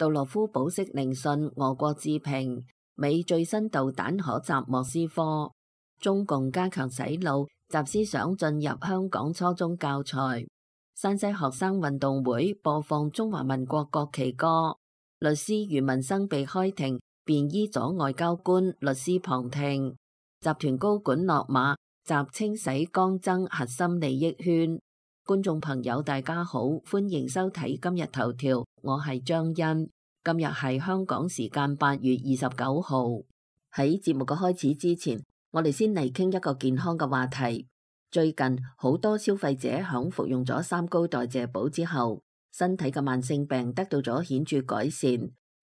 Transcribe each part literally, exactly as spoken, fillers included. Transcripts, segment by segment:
杜羅夫保釋聆訊，俄國置評，美最新導彈可襲莫斯科，中共加強洗腦，習思想進入香港初中教材。山西學生運動會播放中華民國國旗歌，律師余文生被開庭，便衣阻外交官，律師旁聽。集團高管落馬，習清洗江增核心利益圈。觀眾朋友大家好，歡迎收睇今日頭條，我係張欣。今日係香港時間八月二十九號。喺節目嘅開始之前，我哋先嚟傾一個健康嘅話題。最近好多消費者響服用咗三高代謝寶之後，身體嘅慢性病得到咗顯著改善，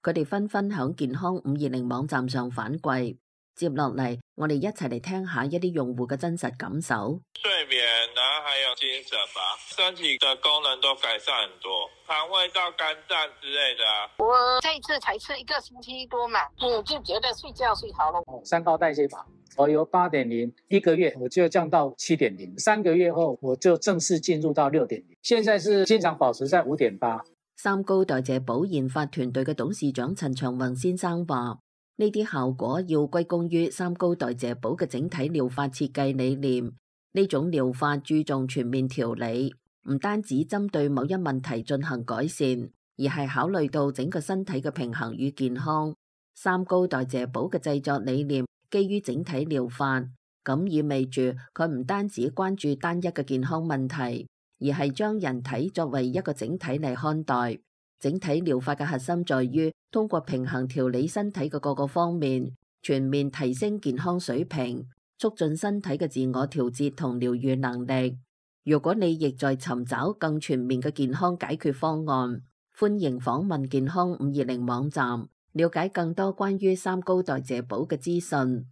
佢哋紛紛響健康五二零網站上反饋。接落嚟，我哋一齊嚟聽下一啲用戶嘅真實感受。睡眠，然後還有精神吧，身體的功能都改善很多，腸胃道、肝臟之類的啊。我這一次才吃一個星期多嘛，我就覺得睡覺睡好了。三高代謝法，我由八點零一個月我就降到七點零，三個月後我就正式進入到六點零，現在是經常保持在五點八。三高代謝寶研發團隊嘅董事長陳長宏先生話：呢啲效果要歸功於三高代謝寶嘅整體療法設計理念。呢種療法注重全面調理，唔單止針對某一問題進行改善，而係考慮到整個身體嘅平衡與健康。三高代謝寶嘅製作理念基於整體療法，咁意味住佢唔單止關注單一嘅健康問題，而係將人體作為一個整體嚟看待。整體療法嘅核心在於通過平衡調理身體嘅各個方面，全面提升健康水平，促進身體嘅自我調節同療癒能力。如果你亦在尋找更全面嘅健康解決方案，歡迎訪問健康五二零網站，了解更多關於三高代謝寶嘅資訊。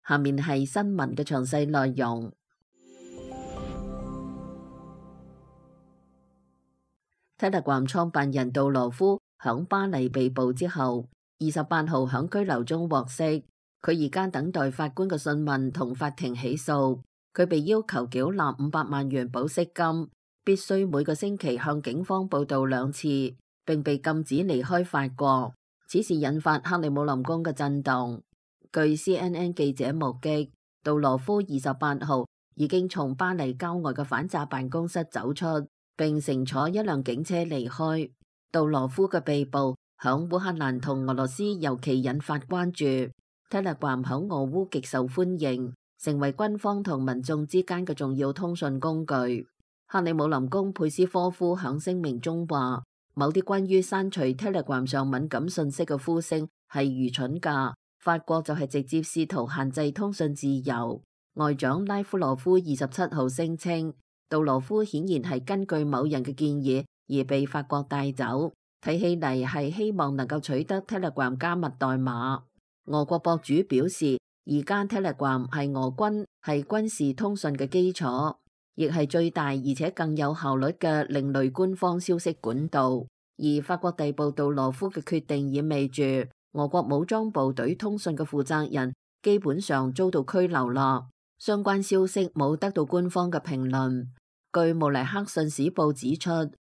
下面係新聞嘅詳細內容。Telegram 創辦人杜羅夫響巴黎被捕之後，二十八號響拘留中獲釋。佢而家等待法官嘅訊問同法庭起訴。佢被要求繳納五百萬元保釋金，必須每個星期向警方報到兩次，並被禁止離開法國。此事引發克里姆林宮嘅震動。據 C N N 記者目擊，杜羅夫二十八號已經從巴黎郊外嘅反詐辦公室走出，並乘坐一輛警車離開。杜羅夫嘅被捕響烏克蘭同俄羅斯尤其引發關注。Telegram 響俄烏極受歡迎，成為軍方同民眾之間嘅重要通訊工具。克里姆林宮佩斯科夫響聲明中話，某啲關於刪除 Telegram 上敏感信息嘅呼聲係愚蠢㗎。法國就係直接試圖限制通訊自由。外長拉夫羅夫二十七號聲稱，杜羅夫顯然係根據某人嘅建議而被法國帶走，睇起嚟係希望能夠取得 Telegram 加密代碼。俄國博主表示，而家 Telegram 係俄軍係軍事通訊嘅基礎，亦係最大而且更有效率嘅另類官方消息管道。而法國逮捕杜羅夫嘅決定意味住俄國武裝部隊通訊嘅負責人基本上遭到拘留啦。相關消息冇得到官方嘅評論。據慕尼克信使報指出，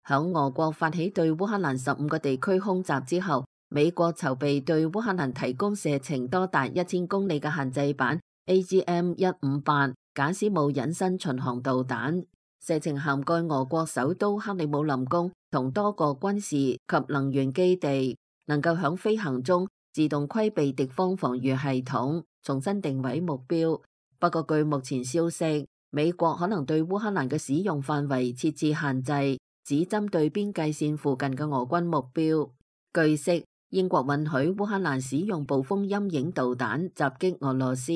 響俄國發起對烏克蘭十五個地區空襲之後，美國籌備對烏克蘭提供射程多達一千公里嘅限制版 A G M 一五八賈斯姆隱身巡航導彈，射程涵蓋俄國首都克里姆林宮同多個軍事及能源基地，能夠響飛行中自動規避敵方防禦系統，重新定位目標。不過據目前消息，美國可能對烏克蘭嘅使用範圍設置限制，只針對邊界線附近嘅俄軍目標。據悉，英國允許烏克蘭使用暴風陰影導彈襲擊俄羅斯，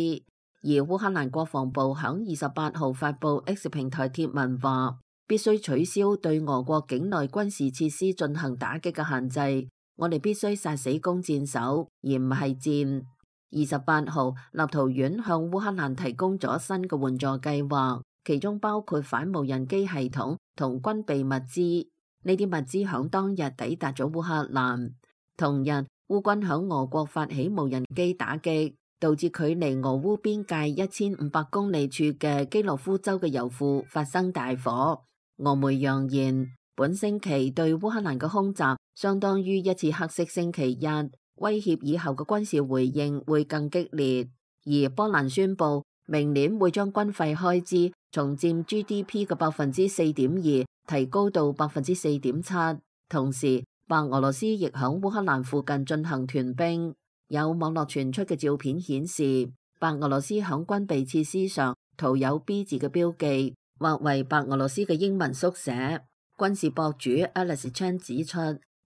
而烏克蘭國防部響二十八號發布 X 平台貼文話，必須取消對俄國境內軍事設施進行打擊嘅限制。我哋必須殺死弓箭手，而唔係箭。二十八號，立陶宛向烏克蘭提供咗新嘅援助計劃，其中包括反無人機系統同軍備物資。呢啲物資響當日抵達咗烏克蘭。同日，烏軍響俄國發起無人機打擊，導致距離俄烏邊界一千五百公里處嘅基洛夫州嘅油庫發生大火。俄媒揚言，本星期對烏克蘭嘅空襲相當於一次黑色星期一，威脅以後嘅軍事回應會更激烈。而波蘭宣布明年會將軍費開支從佔 G D P 嘅百分之四點二提高到百分之四點七，同時白俄羅斯亦響烏克蘭附近進行屯兵。有網絡傳出嘅照片顯示，白俄羅斯響軍備設施上塗有 B 字嘅標記，或為白俄羅斯嘅英文縮寫。軍事博主 Alex Chan 指出，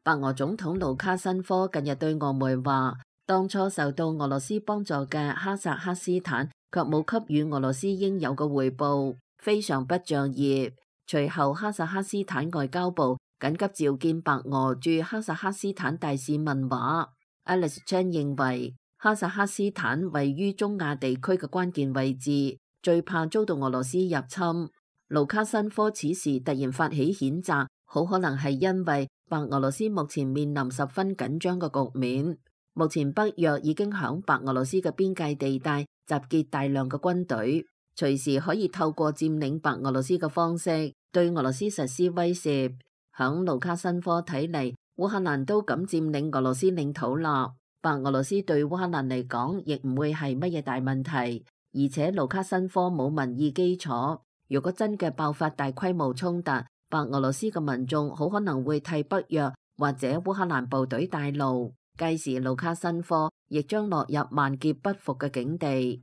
白俄總統盧卡申科近日對俄媒話，當初受到俄羅斯幫助嘅哈薩克斯坦卻冇給予俄羅斯應有嘅回報，非常不仗義。隨後哈薩克斯坦外交部緊急召見白俄駐哈薩克斯坦大使問話。Alex Chan 認為哈薩克斯坦位於中亞地區嘅關鍵位置，最怕遭到俄羅斯入侵。盧卡申科此時突然發起譴責，好可能係因為白俄羅斯目前面臨十分緊張嘅局面。目前北約已經響白俄羅斯嘅邊界地帶集結大量嘅軍隊，隨時可以透過佔領白俄羅斯嘅方式對俄羅斯實施威脅。響盧卡申科睇嚟，烏克蘭都敢佔領俄羅斯領土啦，白俄羅斯對烏克蘭嚟講亦唔會係乜嘢大問題，而且盧卡申科冇民意基礎。如果真嘅爆發大規模衝突，白俄羅斯嘅民眾好可能會替北約或者烏克蘭部隊帶路，屆時盧卡申科亦將落入萬劫不復嘅境地。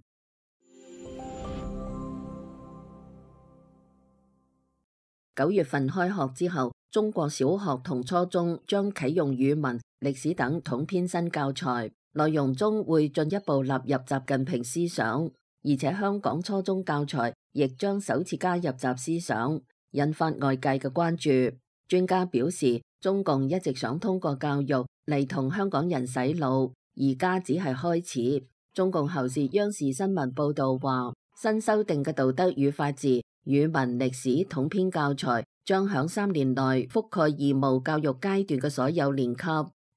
九月份開學之後，中國小學同初中將啟用語文、歷史等統編新教材，內容中會進一步納入習近平思想，而且香港初中教材亦將首次加入習思想，引發外界嘅關注。專家表示，中共一直想通過教育嚟同香港人洗腦，而家只係開始。中共後時央視新聞報道話，新修訂嘅道德與法治、語文、歷史統編教材將響三年內覆蓋義務教育階段嘅所有年級。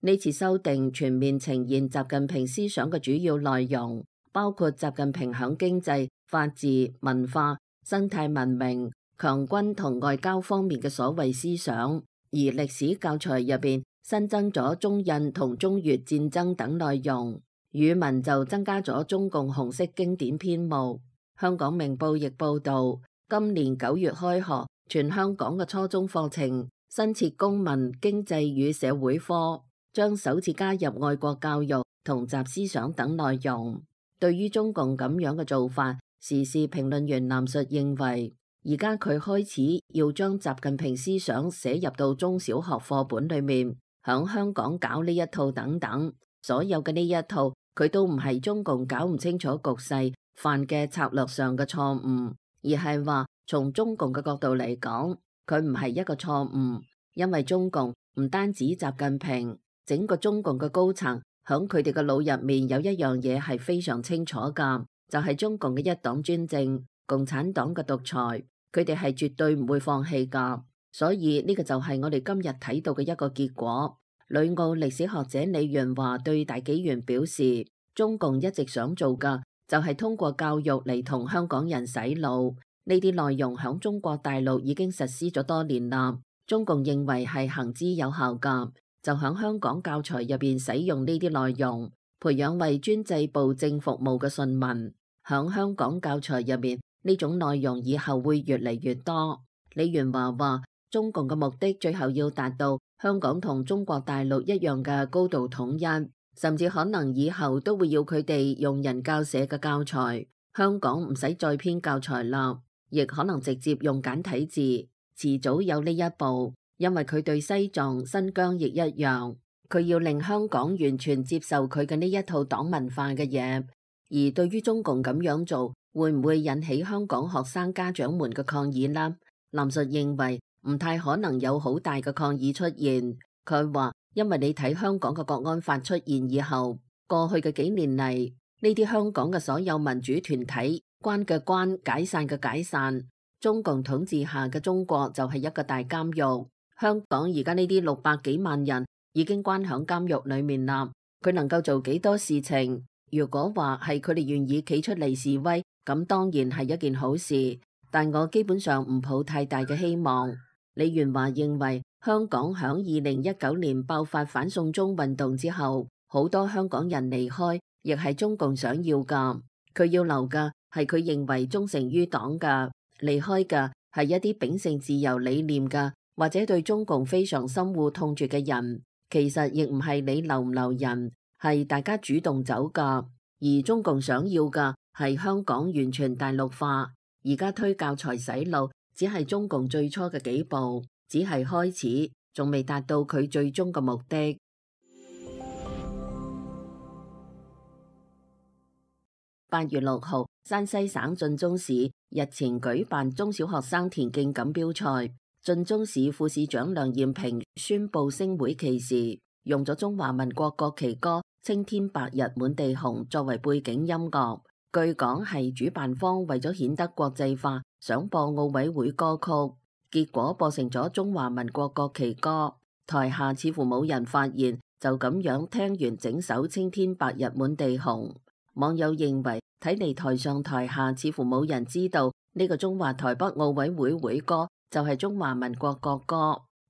呢次修訂全面呈現習近平思想嘅主要內容，包括習近平響經濟、法治、文化、生態文明、強軍同外交方面嘅所謂思想。而歷史教材入邊新增咗中印同中越戰爭等內容，語文就增加咗中共紅色經典篇目。香港明報亦報道，今年九月開學，全香港嘅初中課程新設公民、經濟與社會科，將首次加入愛國教育同習思想等內容。對於中共咁樣嘅做法，時事評論員藍述認為，而家佢開始要將習近平思想寫入到中小學課本裏面，響香港搞呢一套等等，所有嘅呢一套佢都唔係中共搞唔清楚局勢犯嘅策略上嘅錯誤，而係話從中共嘅角度嚟講，佢唔係一個錯誤，因為中共唔單止習近平，整個中共嘅高層響佢哋嘅腦入面有一樣嘢係非常清楚噶，就係中共嘅一黨專政、共產黨嘅獨裁，佢哋係絕對唔會放棄噶。所以呢個就係我哋今日睇到嘅一個結果。旅澳歷史學者李潤華對大紀元表示，中共一直想做噶就係通過教育嚟同香港人洗腦，呢啲內容響中國大陸已經實施咗多年啦，中共認為係行之有效噶，就響香港教材入邊使用呢啲內容，培養為專制暴政服務嘅順民。響香港教材入面呢種內容以後會越嚟越多。李元華話，中共嘅目的最後要達到香港同中國大陸一樣嘅高度統一，甚至可能以後都會要佢哋用人教社嘅教材，香港唔使再編教材啦，亦可能直接用簡體字，遲早有呢一步。因為佢對西藏、新疆亦一樣，佢要令香港完全接受佢嘅呢一套黨文化嘅嘢。而對於中共咁樣做，會唔會引起香港學生家長們嘅抗議呢？藍述認為唔太可能有好大嘅抗議出現。佢話，因為你睇香港嘅國安法出現以後，過去嘅幾年嚟，呢啲香港嘅所有民主團體關嘅關，解散嘅解散，中共統治下嘅中國就係一個大監獄。香港而家呢啲六百幾萬人已經關響監獄裏面啦，佢能夠做幾多事情？如果話係佢哋願意企出嚟示威，咁當然係一件好事，但我基本上唔抱太大嘅希望。李元華認為香港響二零一九年爆發反送中運動之後，好多香港人離開，亦係中共想要㗎。佢要留嘅係佢認為忠誠於黨嘅，離開嘅係一啲秉承自由理念嘅，或者對中共非常深惡痛絕嘅人。其實亦唔係你留唔留人，係大家主動走㗎。而中共想要嘅係香港完全大陸化。而家推教材洗腦，只係中共最初嘅幾步，只係開始，仲未達到佢最終嘅目的。八月六號，山西省晉中市日前舉辦中小學生田徑錦標賽，晉中市副市長梁艷平宣布升會期時，用咗中華民國國旗歌《青天白日滿地紅》作為背景音樂。據講係主辦方為咗顯得國際化，想播奧委會歌曲，結果播成咗中華民國國旗歌。台下似乎冇人發現，就咁樣聽完整首《青天白日滿地紅》。網友認為，睇嚟台上台下似乎冇人知道呢個中華台北奧委會會歌就係中華民國國歌。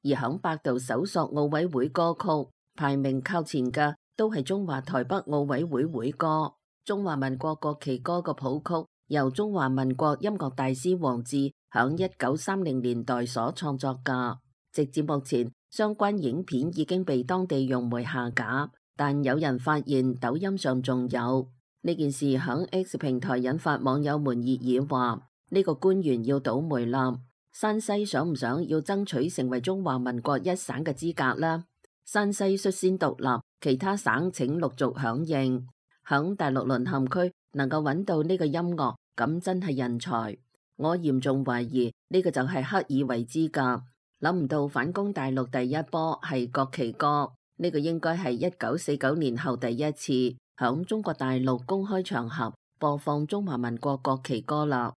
而響百度搜索奧委會歌曲，排名靠前嘅都係中華台北奧委會會歌。中華民國國旗歌嘅譜曲由中華民國音樂大師黃志響一九三零年代所創作㗎。直至目前，相關影片已經被當地用媒下架，但有人發現抖音上仲有。呢件事響 X 平台引發網友們熱議，話呢個官員要倒霉啦。山西想唔想要爭取成為中華民國一省嘅資格呢？山西率先獨立，其他省請陸續響應。響大陸淪陷區能夠揾到呢個音樂，咁真係人才。我嚴重懷疑呢個就係刻意為之㗎。諗唔到反攻大陸第一波係國旗歌，呢個應該係一九四九年後第一次響中國大陸公開場合播放中華民國國旗歌啦。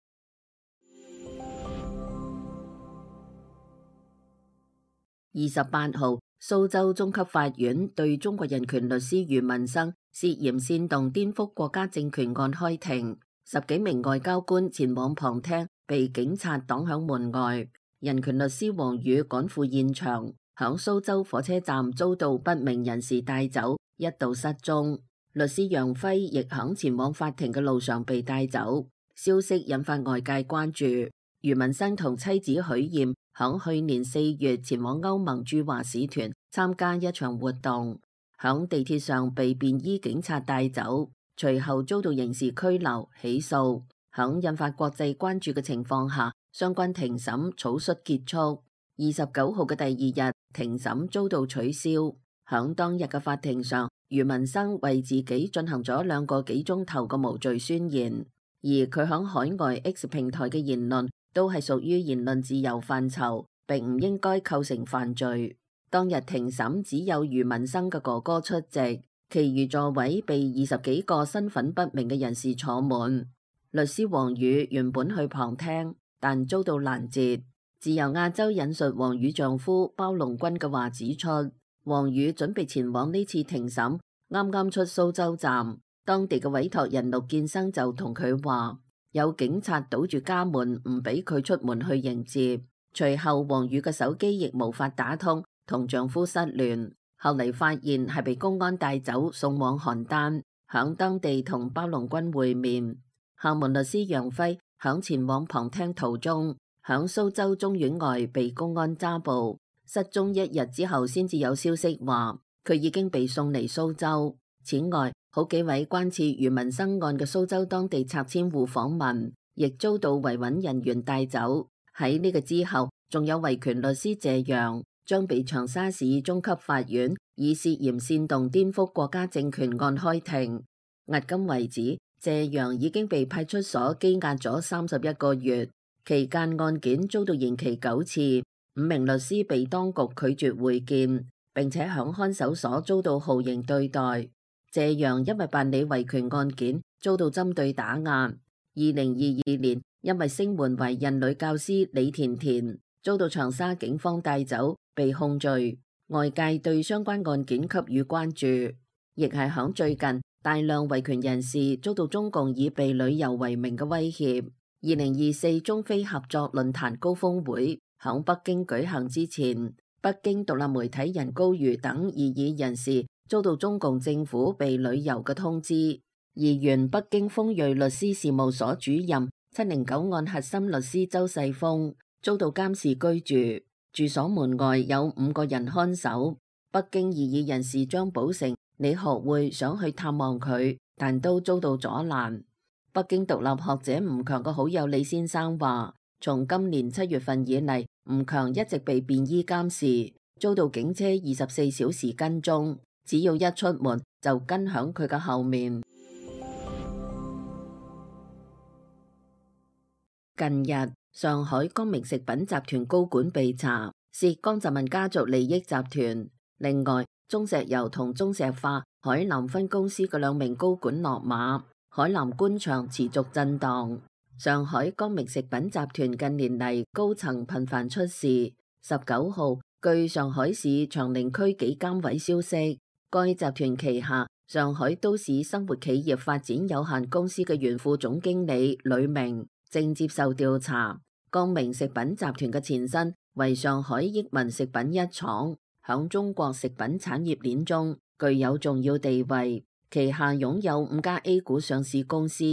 二十八號，蘇州中級法院對中國人權律師余文生涉嫌煽動顛覆國家政權案開庭，十幾名外交官前往旁聽，被警察擋響門外。人權律師王宇趕赴現場，響蘇州火車站遭到不明人士帶走，一度失蹤。律師楊輝亦響前往法庭嘅路上被帶走，消息引發外界關注。余文生同妻子許艷響去年四月前往歐盟駐華使團參加一場活動，響地鐵上被便衣警察帶走，隨後遭到刑事拘留起訴。響引發國際關注嘅情況下，相關庭審草率結束。二十九號嘅第二日，庭審遭到取消。響當日嘅法庭上，余文生為自己進行咗兩個幾鐘頭嘅無罪宣言，而佢響海外 X 平台嘅言論都係屬於言論自由範疇，並唔應該構成犯罪。當日庭審只有余文生嘅哥哥出席，其餘座位被二十幾個身份不明嘅人士坐滿。律師王宇原本去旁聽，但遭到攔截。自由亞洲引述王宇丈夫包龍軍嘅話指出，王宇準備前往呢次庭審，啱啱出蘇州站，當地嘅委託人陸建生就同佢話，有警察堵住家門，唔俾佢出門去迎接。隨後王宇嘅手機亦無法打通，同丈夫失聯。後嚟發現係被公安帶走，送往邯鄲，響當地同包龍軍會面。廈門律師楊輝響前往旁聽途中，響蘇州中院外被公安抓捕，失蹤一日之後先至有消息話佢已經被送嚟蘇州。此外，好幾位關切余文生案嘅蘇州當地拆遷戶訪問，亦遭到維穩人員帶走。喺呢個之後，仲有維權律師謝陽將被長沙市中級法院以涉嫌煽動顛覆國家政權案開庭。迄今為止，謝陽已經被派出所羈押咗三十一個月，期間案件遭到延期九次，五名律師被當局拒絕會見，並且響看守所遭到酷刑對待。謝陽因為辦理維權案件遭到針對打壓。二零二二年，因為聲援懷孕女教師李甜甜，遭到長沙警方帶走，被控罪。外界對相關案件給予關注，亦係響最近，大量維權人士遭到中共以被旅遊為名嘅威脅。二零二四中非合作論壇高峰會響北京舉行之前，北京獨立媒體人高瑜等異議人士遭到中共政府被旅遊嘅通知。而原北京豐瑞律師事務所主任七零九案核心律師周世峰遭到監視居住，住所門外有五個人看守。北京異議人士張寶成理學會想去探望佢，但都遭到阻攔。北京獨立學者吳強嘅好友李先生話，從今年七月份以嚟，吳強一直被便衣監視，遭到警車二十四小時跟蹤，只要一出門就跟響佢嘅後面。近日，上海光明食品集團高管被查，涉江澤民家族利益集團。另外，中石油同中石化海南分公司嘅兩名高管落馬，海南官場持續震盪。上海光明食品集團近年嚟高層頻繁出事。十九號，據上海市長寧區紀監委消息，該集團旗下上海都市生活企業發展有限公司嘅原副總經理呂明正接受調查。光明食品集團嘅前身為上海益民食品一廠，響中國食品產業鏈中具有重要地位，旗下擁有五家 A 股上市公司。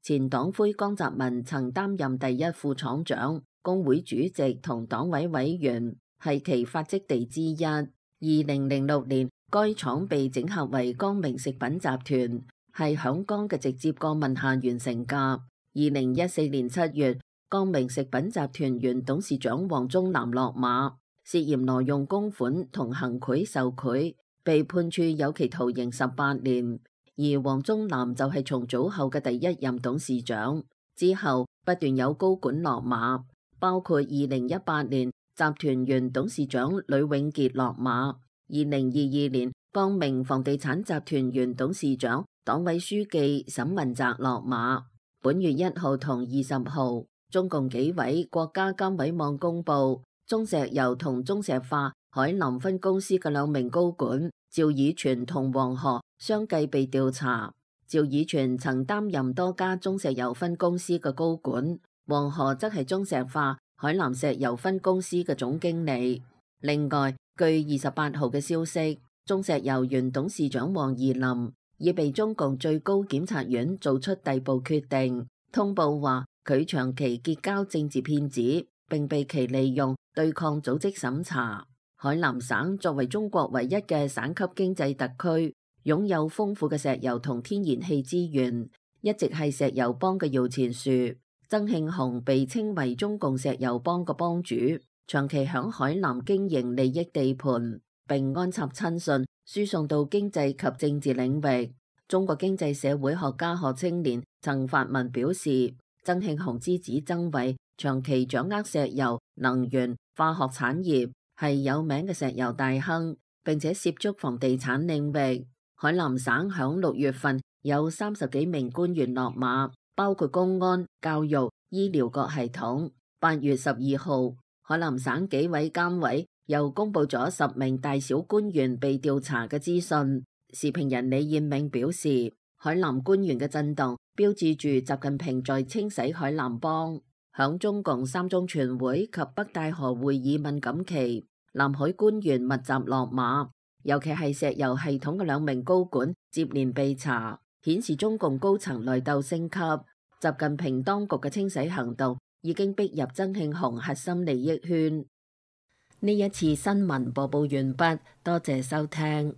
前黨魁江澤民曾擔任第一副廠長、工會主席同黨委委員，係其發跡地之一。二零零六年，該廠被整合為光明食品集團，係響江嘅直接過問下完成㗎。二零一四年七月，光明食品集團原董事長王忠南落馬，涉嫌挪用公款同行賄受賄，被判處有期徒刑十八年。而王忠南就係重組後嘅第一任董事長，之後不斷有高管落馬，包括二零一八年集團原董事長呂永傑落馬，二零二二年光明房地產集團原董事長、黨委書記沈文澤落馬。本月一號同二十號，中共紀委國家監委網公佈，中石油同中石化海南分公司嘅兩名高管趙以全同黃河相繼被調查。趙以全曾擔任多家中石油分公司嘅高管，黃河則係中石化海南石油分公司嘅總經理。另外，據二十八號嘅消息，中石油原董事長王怡林已被中共最高檢察院做出逮捕決定，通報話佢長期結交政治騙子，並被其利用對抗組織審查。海南省作為中國唯一嘅省級經濟特區，擁有豐富嘅石油同天然氣資源，一直係石油幫嘅搖錢樹。曾慶紅被稱為中共石油幫嘅幫主，長期響海南經營利益地盤，並安插親信輸送到經濟及政治領域。中國經濟社會學家何青年曾發文表示，曾慶紅之子曾偉長期掌握石油、能源、化學產業，係有名嘅石油大亨，並且涉足房地產領域。海南省響六月份有三十幾名官員落馬，包括公安、教育、醫療各系統。八月十二號，海南省紀委監委又公布咗十名大小官員被調查嘅資訊。時評人李彥銘表示，海南官員嘅震動標誌住習近平在清洗海南幫。響中共三中全會及北戴河會議敏感期，南海官員密集落馬，尤其係石油系統嘅兩名高管接連被查，顯示中共高層內鬥升級。習近平當局嘅清洗行動已經逼入曾慶紅核心利益圈。呢一次新聞播報完畢，多謝收聽。